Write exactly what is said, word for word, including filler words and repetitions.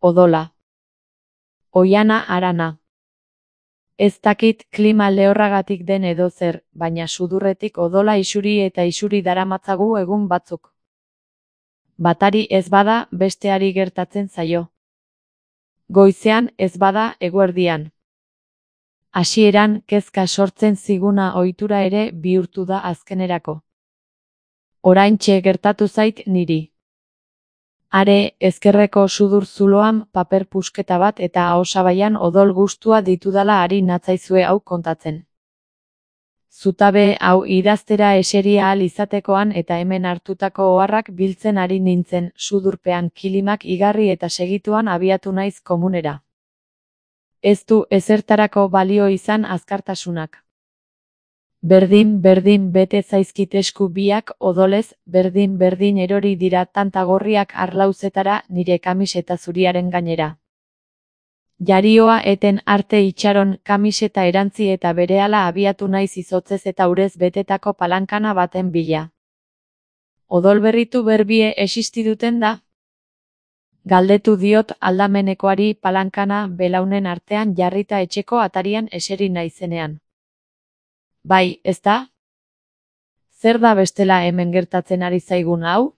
Odola. Oihana harana. Ez dakit klima lehorragatik den edo zer, baina sudurretik odola isuri eta isuri daramatzagu egun batzuk. Batari ez bada, besteari gertatzen zaio. Goizean ez bada, eguerdian. Hasieran kezka sortzen ziguna ohitura ere bihurtu da azkenerako. Oraintxe gertatu zait niri. Are, ezkerreko sudur zuloan paper pusketa bat eta ahosabaian odol gustua ditudala ari natzaizue hau kontatzen. Zutabe hau idaztera eseri ahal izatekoan eta hemen hartutako oharrak biltzen ari nintzen, sudurpean kilimak igarri eta segituan abiatu naiz komunera. Ez du ezertarako balio izan azkartasunak. Berdin-berdin bete zaizkit esku biak odolez, berdin-berdin erori dira tanta gorriak arlauzetara nire kamiseta zuriaren gainera. Jarioa eten arte itxaron kamiseta erantzi eta berehala abiatu naiz izotzez eta urez betetako palankana baten bila. Odol berritu berbie existiduten da? Galdetu diot aldamenekoari palankana belaunen artean jarrita etxeko atarian eseri naizenean. Bai, ezta? Zer da bestela hemen gertatzen ari zaigun hau?